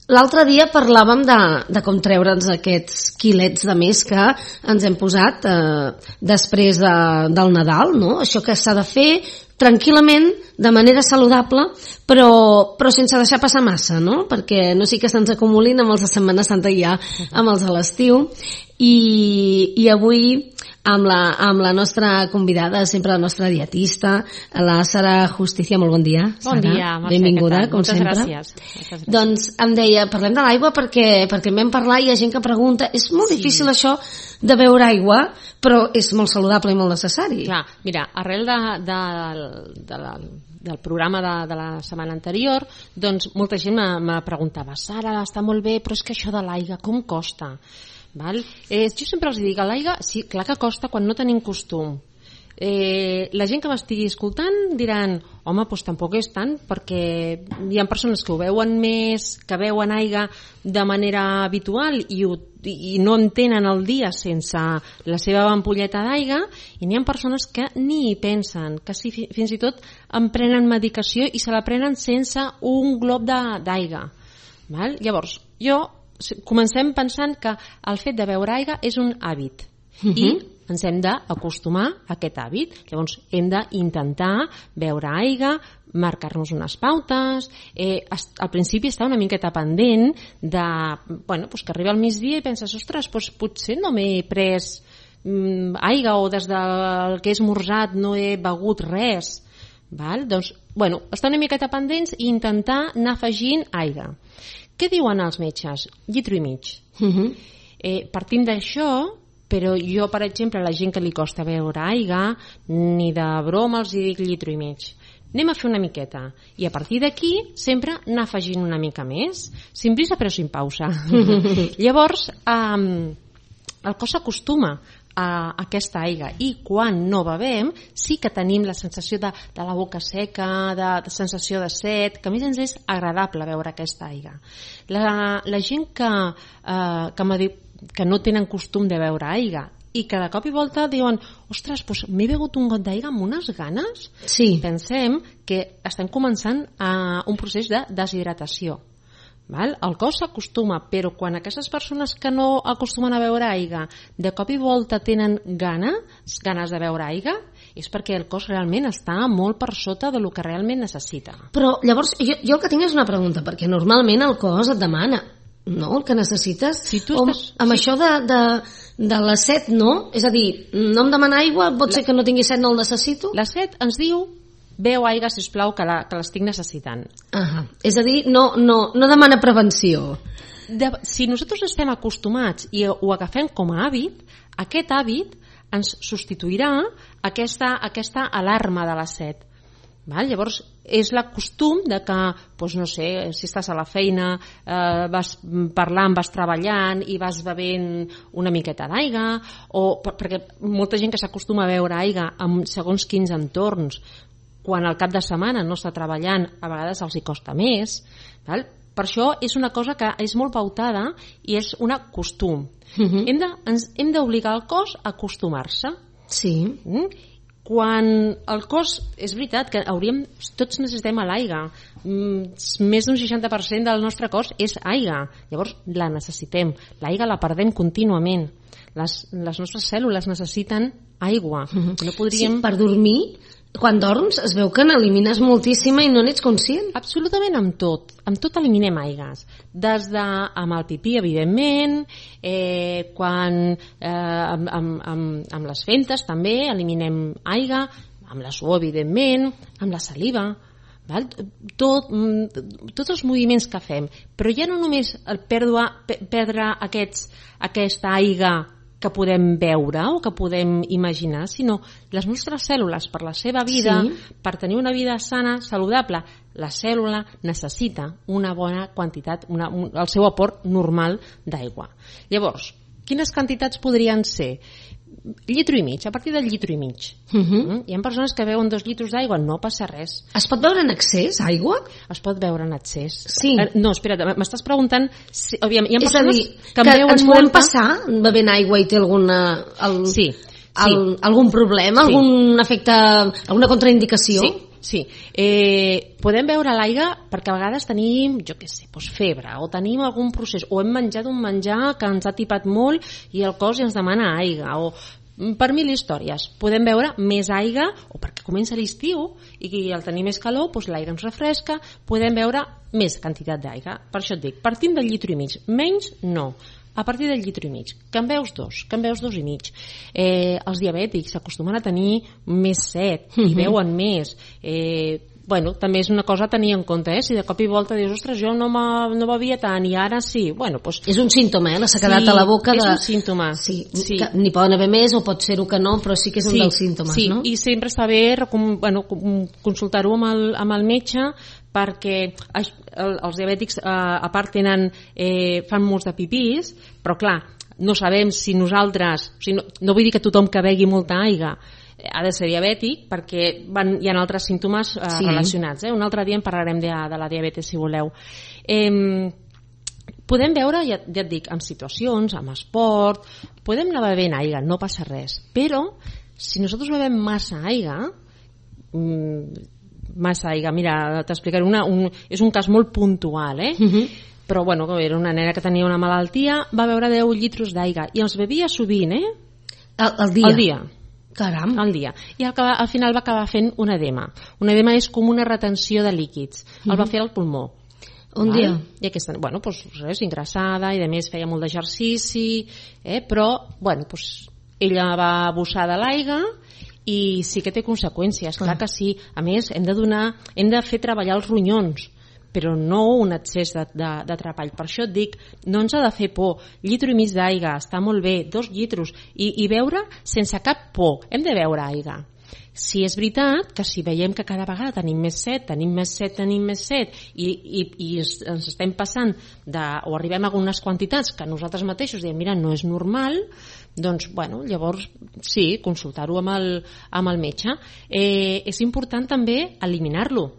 L'altre dia parlàvem de com treure'ns aquests quilets de més que ens hem posat després del Nadal, no? Això que s'ha de fer tranquil·lament, de manera saludable, però sense deixar passar massa, no? Perquè no sigui que se'ns acumulin amb els de Setmana Santa i ja amb els de l'estiu. I avui amb la nostra convidada, sempre la nostra dietista, la Sara Justicia. Molt bon dia, Sara. Bon dia, Mercè. Benvinguda, com Moltes sempre. gràcies. Doncs em deia, parlem de l'aigua perquè en vam parlar i hi ha gent que pregunta, és molt difícil això de beure aigua, però és molt saludable i molt necessari. Clar, mira, arrel del programa de la setmana anterior, doncs molta gent me preguntava, Sara, està molt bé, però és que això de l'aigua, com costa? Val? Jo sempre els dic, l'aigua, sí, clar que costa quan no tenim costum. La gent que m'estigui escoltant diran, home, doncs tampoc és tant, perquè hi ha persones que ho veuen més, que beuen aigua de manera habitual i no entenen el dia sense la seva ampolleta d'aigua, i n'hi ha persones que ni hi pensen, que fins i tot en prenen medicació i se la prenen sense un glob d'aigua. Llavors, comencem pensant que el fet de beure aigua és un hàbit i ens hem d'acostumar a aquest hàbit. Llavors hem d'intentar beure aigua, marcar-nos unes pautes. Al principi està una miqueta pendent de, que arriba al migdia i penses, ostres, potser no m'he pres aigua o des del que he esmorzat no he begut res. Doncs, estar una miqueta pendents i intentar anar afegint aigua. Què diuen els metges? Litro i mig. Partim d'això, però jo, per exemple, a la gent que li costa beure aigua, ni de broma els dic litro i mig. Anem a fer una miqueta. I a partir d'aquí, sempre anar afegint una mica més. Sin prisa, però sin pausa. Llavors, el cos s'acostuma a aquesta aigua i quan no bevem sí que tenim la sensació de la boca seca, de sensació de set, que a més ens és agradable beure aquesta aigua. La gent que no tenen costum de beure aigua i que de cop i volta diuen, ostres, m'he begut un got d'aigua amb unes ganes, pensem que estem començant un procés de deshidratació. El cos s'acostuma, però quan aquestes persones que no acostumen a beure aigua de cop i volta tenen ganes de beure aigua, és perquè el cos realment està molt per sota del que realment necessita. Però llavors jo el que tinc és una pregunta, perquè normalment el cos et demana, no?, el que necessites. Si tu amb això de la set, no? És a dir, no em demana aigua, pot ser que no tingui set, no el necessito? La set ens diu, beu aigua, sisplau, que l'estic necessitant. És a dir, no demana prevenció. Si nosaltres estem acostumats i ho agafem com a hàbit, aquest hàbit ens substituirà aquesta alarma de la set. Llavors, és el costum de que, no sé, si estàs a la feina, vas parlant, vas treballant i vas bevent una miqueta d'aigua, perquè molta gent que s'acostuma a beure aigua en segons quins entorns, quan al cap de setmana no està treballant, a vegades els hi costa més. Per això és una cosa que és molt pautada i és un costum. Hem d'obligar el cos a acostumar-se. Sí. Quan el cos, és veritat que tots necessitem l'aigua, més d'un 60% del nostre cos és aigua, llavors la necessitem, l'aigua la perdem contínuament, les nostres cèl·lules necessiten aigua. Sí, per dormir, quan dorms es veu que n'elimines moltíssima i no n'ets conscient. Absolutament amb tot eliminem aigues, amb el pipí, evidentment, amb les fentes també eliminem aigua, amb la suor, evidentment, amb la saliva, tots els moviments que fem, però ja no només el perdre aquesta aigua que podem veure o que podem imaginar, sinó les nostres cèl·lules, per la seva vida, per tenir una vida sana, saludable, la cèl·lula necessita una bona quantitat, el seu aport normal d'aigua. Llavors, quines quantitats podrien ser? Litro i mig, a partir del litro i mig. Hi ha persones que beuen 2 litres d'aigua, no passa res. Es pot beure en excés, aigua? Es pot beure en excés. Sí. No, espera't, m'estàs preguntant... Hi ha persones que ens podem passar bevent aigua i té algun problema, algun efecte, alguna contraindicació? Sí, podem beure l'aigua perquè a vegades tenim, jo què sé, febre, o tenim algun procés, o hem menjat un menjar que ens ha tipat molt i el cos ja ens demana aigua, o per 1000 històries. Podem beure més aigua, o perquè comença l'estiu i al tenir més calor, l'aigua ens refresca, podem beure més quantitat d'aigua. Per això et dic, partint del litro i mig, menys no. A partir del litro i mig, que en beus 2, que en beus 2 i mig. Els diabètics s'acostumen a tenir més set i beuen més. També és una cosa a tenir en compte, si de cop i volta dius, ostres, jo no bevia tant i ara sí, és un símptoma, la sequedat a la boca. És un símptoma. Sí. N'hi poden haver més o pot ser-ho que no, però sí que és un dels símptomes, no? Sí, i sempre està bé consultar-ho amb el metge, perquè els diabètics a part fan molts de pipís, però clar, no sabem si nosaltres, no vull dir que tothom que begui molta aigua ha de ser diabètic, perquè hi ha altres símptomes relacionats. Un altre dia en parlarem de la diabetes, si voleu. Podem veure, ja et dic, en situacions, amb esport, podem anar bevent aigua, no passa res, però si nosaltres bevem massa aigua, mira, t'explicaré és un cas molt puntual, però era una nena que tenia una malaltia, va beure 10 litros d'aigua i els bevia sovint, al dia. Caram. Al dia. I al final va acabar fent un edema. Un edema és com una retenció de líquids. El va fer al pulmó. Un dia. I aquesta, ingressada i a més feia molt d'exercici, però ella va abusar de l'aigua i sí que té conseqüències, clar que sí. A més, hem de fer treballar els ronyons, però no un excés de treball. Per això et dic, no ens ha de fer por. Litro i mig d'aigua, està molt bé, 2 litros, i beure sense cap por. Hem de beure aigua. Si és veritat que si veiem que cada vegada tenim més set i ens estem passant o arribem a algunes quantitats que nosaltres mateixos diem, mira, no és normal, doncs, llavors sí, consultar-ho amb el metge. És important també eliminar-lo.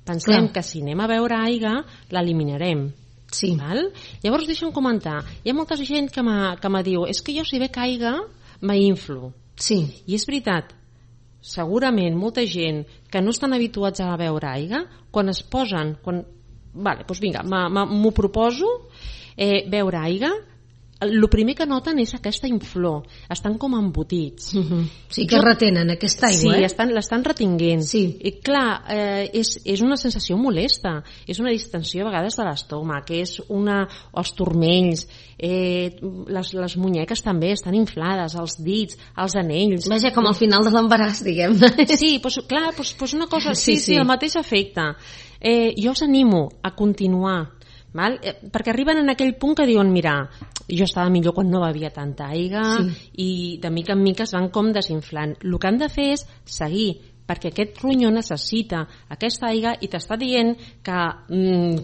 Pensem que si anem a beure aigua, l'eliminarem. Sí. Val? Llavors deixa'm comentar, hi ha molta gent que me diu, és que jo si bec aigua m'inflo. Sí. I és veritat, segurament molta gent que no estan habituats a beure aigua, quan es posen, m'ho proposo, beure aigua, el primer que noten és aquesta inflor, estan com embotits. Sí, que retenen aquesta aigua. Sí, l'estan retinguent. Sí. I clar, és una sensació molesta, és una distensió a vegades de l'estómac, els turmells, les munyeques també estan inflades, els dits, els anells. Vaja, com al final de l'embaràs, diguem. Sí, clar, una cosa, sí, el mateix efecte. Jo us animo a continuar, val? Perquè arriben en aquell punt que diuen, mira, jo estava millor quan no bevia tanta aigua, i de mica en mica es van com desinflant. El que han de fer és seguir, perquè aquest ronyó necessita aquesta aigua i t'està dient que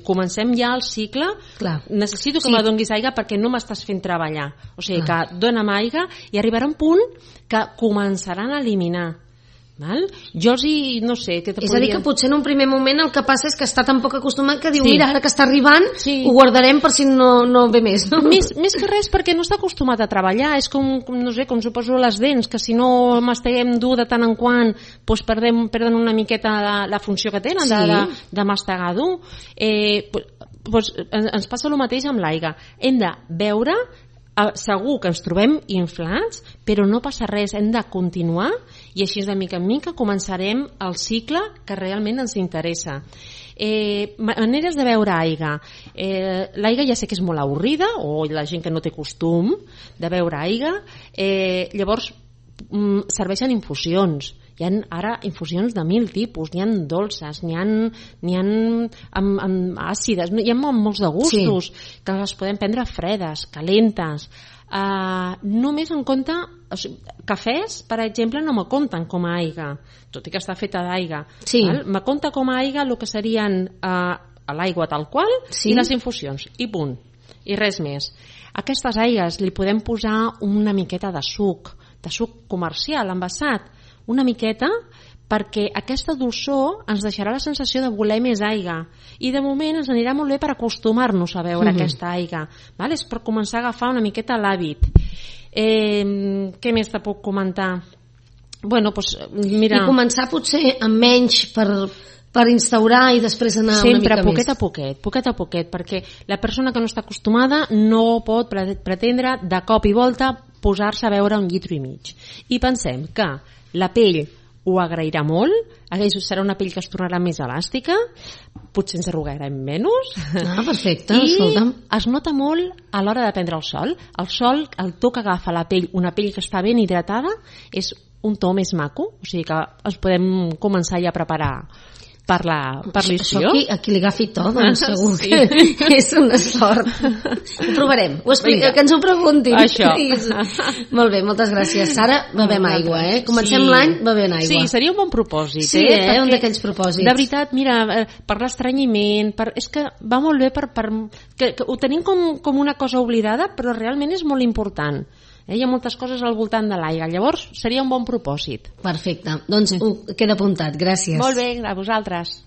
comencem ja el cicle. Clar. Necessito que me donis aigua perquè no m'estàs fent treballar, o sigui que dona'm aigua, i arribarà un punt que començaran a eliminar. Val? Jo no sé què és a dir, que potser en un primer moment el que passa és que està tan poc acostumat que diu, mira, ara que està arribant ho guardarem per si no ve més, no? Més que res perquè no està acostumat a treballar. És com, no sé, com suposo les dents, que si no masteguem dur de tant en quant, doncs perden una miqueta la funció que tenen de mastegar dur. Ens passa el mateix amb l'aigua. Hem de beure, segur que ens trobem inflats, però no passa res, hem de continuar, i així de mica en mica començarem el cicle que realment ens interessa. Maneres de beure aigua. L'aigua ja sé que és molt avorrida, o la gent que no té costum de beure aigua, llavors serveixen infusions. Hi ha ara infusions de 1000 tipus, n'hi ha dolces, n'hi ha àcides, hi ha molts de gustos, que les podem prendre fredes, calentes. Només en compte, cafès, per exemple, no me compten com a aigua, tot i que està feta d'aigua. Me compta com a aigua el que serien l'aigua tal qual i les infusions, i punt, i res més. A aquestes aigues li podem posar una miqueta de suc comercial, envasat, una miqueta, perquè aquesta dolçor ens deixarà la sensació de voler més aigua, i de moment ens anirà molt bé per acostumar-nos a beure aquesta aigua, val? És per començar a agafar una miqueta l'hàbit. Què més te puc comentar? Bueno, doncs, mira... I començar potser amb menys per instaurar i després anar sempre una mica més. Poquet a poquet, perquè la persona que no està acostumada no pot pretendre de cop i volta posar-se a beure 1,5 litres. I pensem que la pell ho agrairà molt, serà una pell que es tornarà més elàstica, potser ens arrugarem menys. Perfecte, i escolta'm. es nota molt a l'hora de prendre el sol. El sol, el to que agafa la pell, una pell que està ben hidratada, és un to més maco, o sigui que ens podem començar ja a preparar per l'estiu. Això a qui li agafi to, doncs segur que és una sort. Ho provarem. Que ens ho preguntin. Això. Molt bé, moltes gràcies. Sara, bevem aigua, Comencem l'any bevent aigua. Sí, seria un bon propòsit. Sí, un d'aquells propòsits. De veritat, mira, per l'estranyiment, és que va molt bé que ho tenim com una cosa oblidada, però realment és molt important. Hi ha moltes coses al voltant de l'aigua, llavors seria un bon propòsit. Perfecte, doncs queda apuntat, gràcies. Molt bé, a vosaltres.